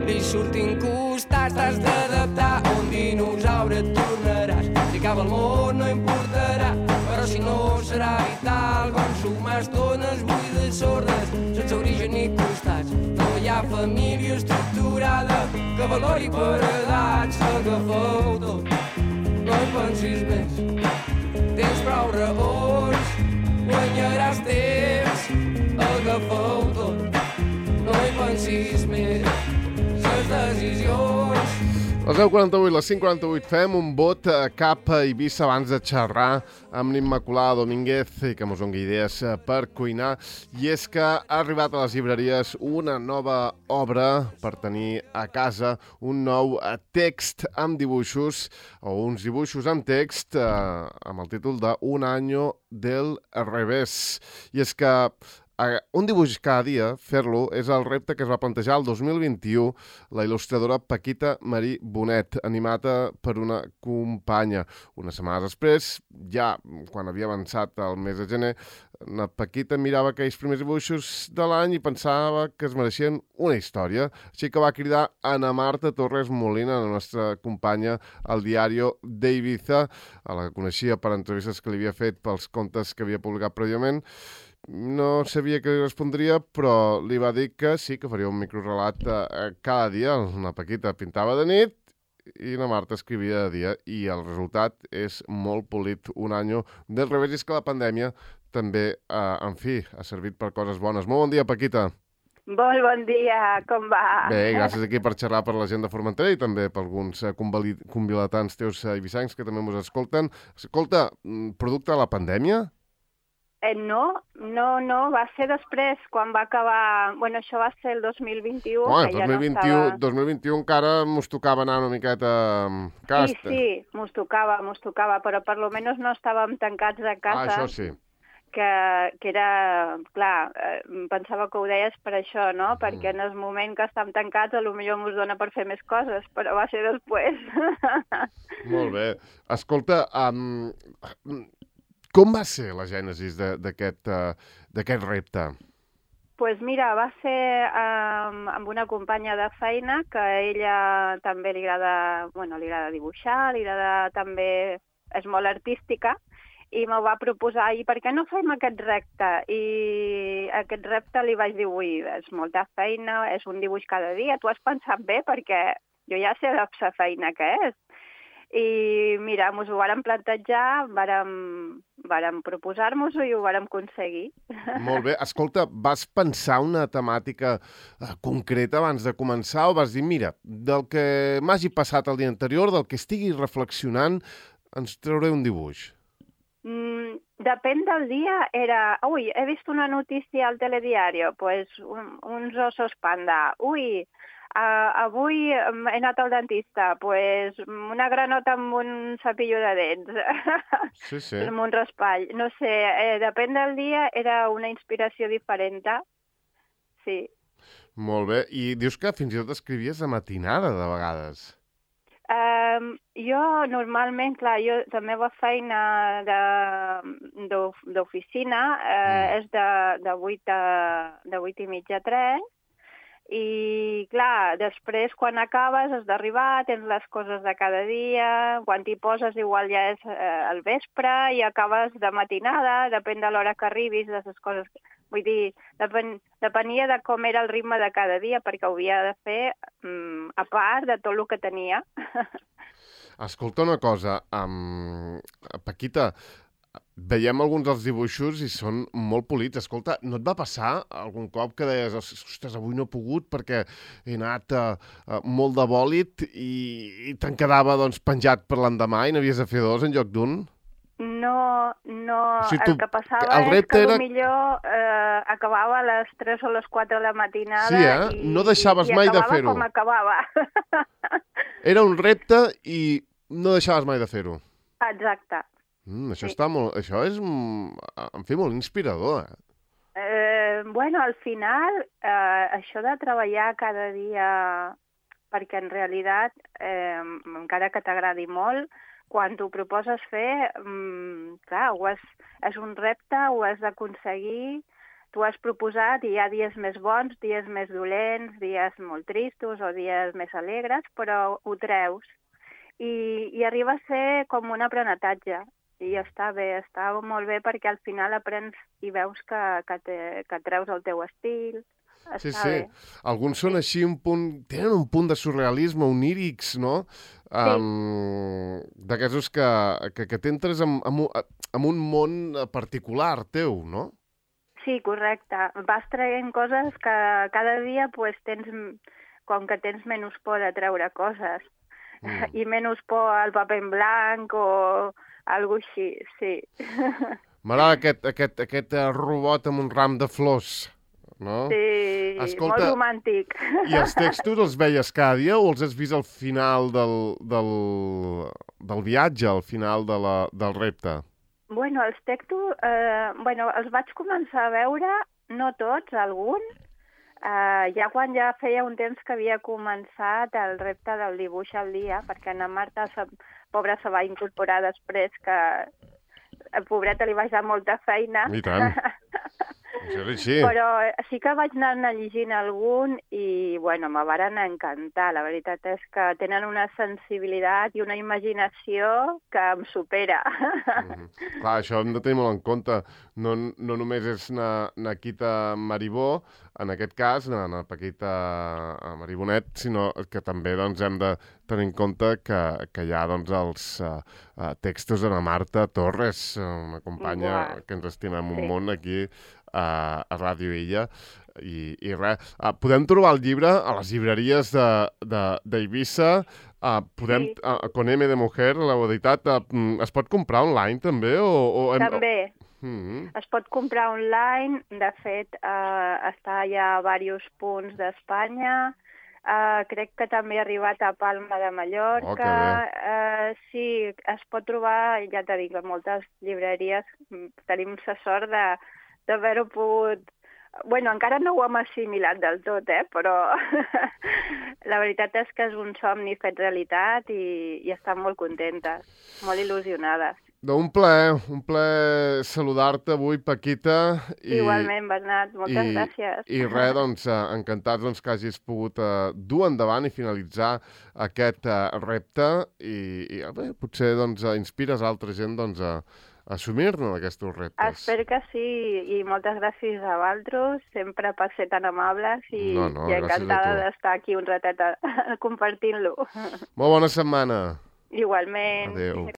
li surtin costats, t'has d'adaptar, un dinosaure et tornaràs. Si acaba el món no importarà, però si no serà vital, consumar estones buides sordes, sense origen ni costats. No hi ha família estructurada que valori per edats. Agafeu tot, no hi pensis més, tens prou raons, guanyaràs temps. Agafeu tot, no hi pensis més, les decisions. Les 10:48, les 5:48, fem un vot cap a Eivissa abans de xerrar amb l'Immaculada Domínguez i que mos doni idees per cuinar. I és que ha arribat a les llibreries una nova obra per tenir a casa, un nou text amb dibuixos, o uns dibuixos amb text, amb el títol de Un año del revés. I és que un dibuix cada dia, fer-lo, és el repte que es va plantejar el 2021 la il·lustradora Paquita Marí Bonet, animada per una companya. Unes setmanes després, ja quan havia avançat el mes de gener, la Paquita mirava aquells primers dibuixos de l'any i pensava que es mereixien una història. Així que va cridar Ana Marta Torres Molina, la nostra companya al Diario de Ibiza, a la que coneixia per entrevistes que li havia fet pels contes que havia publicat prèviament. No sabia què li respondria, però li va dir que sí, que faria un microrelat cada dia. La Paquita pintava de nit i la Marta escrivia de dia, i el resultat és molt polit. Un any del revés. És que la pandèmia també, en fi, ha servit per coses bones. Molt bon dia, Paquita. Molt bon dia, com va? Bé, gràcies aquí per xerrar per la gent de Formentera i també per alguns convilatans teus ibicencs que també ens escolten. Escolta, producte de la pandèmia? No, va ser després, quan va acabar... Bueno, això va ser el 2021. Bueno, 2021 encara mos tocava anar una miqueta casta. Sí, mos tocava, però per lo menos no estàvem tancats a casa. Això sí. Que era... Clar, pensava que ho deies per això, no? Perquè en el moment que estem tancats potser mos dona per fer més coses, però va ser després. Molt bé. Escolta, com va ser la gènesis d'aquest repte? Pues mira, va ser amb una companya de feina que a ella també li agrada dibuixar, li agrada també, és molt artística, i m'ho va proposar, i per què no fem aquest repte? I aquest repte li vaig dir, ui, és molta feina, és un dibuix cada dia, tu has pensat bé perquè jo ja sé la feina que és. I mira, ens ho vàrem plantejar, vàrem proposar-nos-ho i ho vàrem aconseguir. Molt bé. Escolta, vas pensar una temàtica concreta abans de començar o vas dir, mira, del que m'hagi passat el dia anterior, del que estigui reflexionant, ens trauré un dibuix? Depèn del dia, era... Ui, he vist una notícia al telediario, pues uns osos panda. Ui, avui he anat al dentista, pues una granota amb un cepillo de dents. Sí. Amb un raspall. No sé, depèn del dia, era una inspiració diferent. Sí. Molt bé. I dius que fins i tot escrivies a matinada, de vegades. Jo normalment, clar, jo també la feina d'oficina és de 8 i mitja a 3, i clar, després quan acabes has d'arribar, tens les coses de cada dia, quan t'hi poses igual ja és al vespre i acabes de matinada, depèn de l'hora que arribis, de les coses... Vull dir, depenia de com era el ritme de cada dia, perquè ho havia de fer a part de tot el que tenia. Escolta una cosa, Paquita, veiem alguns dels dibuixos i són molt polits. Escolta, no et va passar algun cop que deies, ostres, avui no he pogut perquè he anat molt de bòlit i te'n quedava penjat per l'endemà i n'havies de fer dos en lloc d'un? No, o sigui, el que passava és que millor acabava a les 3 o les 4 de la matinada. Sí, eh? No deixaves mai de fer-ho. I acabava com acabava. Era un repte i no deixaves mai de fer-ho. Exacte. Això està molt... Això és, en fi, molt inspirador, Bueno, al final, això de treballar cada dia, perquè en realitat, encara que t'agradi molt, quan t'ho proposes fer, clar, és un repte, ho has d'aconseguir, tu has proposat i hi ha dies més bons, dies més dolents, dies molt tristos o dies més alegres, però ho treus. I arriba a ser com un aprenentatge. I està bé, està molt bé perquè al final aprens i veus que treus el teu estil. Sí, Està sí. bé. Alguns són així tenen un punt de surrealisme, onírics, no? D'aquests que t'entres en un món particular teu, no? Sí, correcte. Vas traient coses que cada dia pues, com que tens menys por de treure coses. I menys por al paper en blanc o algo així, sí. M'agrada aquest robot amb un ram de flors, no? Sí, Escolta, molt romàntic. I els textos els veies cada dia o els has vist al final del viatge, al final del repte? Bueno, els textos, els vaig començar a veure, no tots, alguns, ja quan ja feia un temps que havia començat el repte del dibuix al dia, perquè na Marta, pobra, se va incorporar després, que a pobreta li vaig dar molta feina. I tant. Això és així. Però sí que vaig anar llegint algun i, bueno, me varen encantar. La veritat és que tenen una sensibilitat i una imaginació que em supera. Clar, això hem de tenir molt en compte. No només és Naquita Maribó, en aquest cas, na Paquita Maribonet, sinó que també doncs, hem de tenir en compte que hi ha doncs, els textos de la Marta Torres, una companya que ens estimem un munt aquí a Ràdio Illa. I res, podem trobar el llibre a les llibreries d'Eivissa, con M de Mujer, l'heu editat. Es pot comprar online també? També. Es pot comprar online. De fet, està ja a diversos punts d'Espanya. Crec que també ha arribat a Palma de Mallorca. Sí, es pot trobar, ja t'he dit, a moltes llibreries. Tenim la sort d'haver-ho pogut... Bueno, encara no ho hem assimilat del tot, però la veritat és que és un somni fet realitat i estan molt contentes, molt il·lusionades. Un plaer saludar-te avui, Paquita. Igualment, Bernat, moltes gràcies. I res, doncs, encantats que hagis pogut dur endavant i finalitzar aquest repte i potser doncs, inspires altra gent doncs, a assumir-ne aquests reptes. Espero que sí, i moltes gràcies a vosaltres, sempre per ser tan amables i encantada d'estar aquí un ratet compartint-lo. Molt bona setmana. Igualment. Adéu.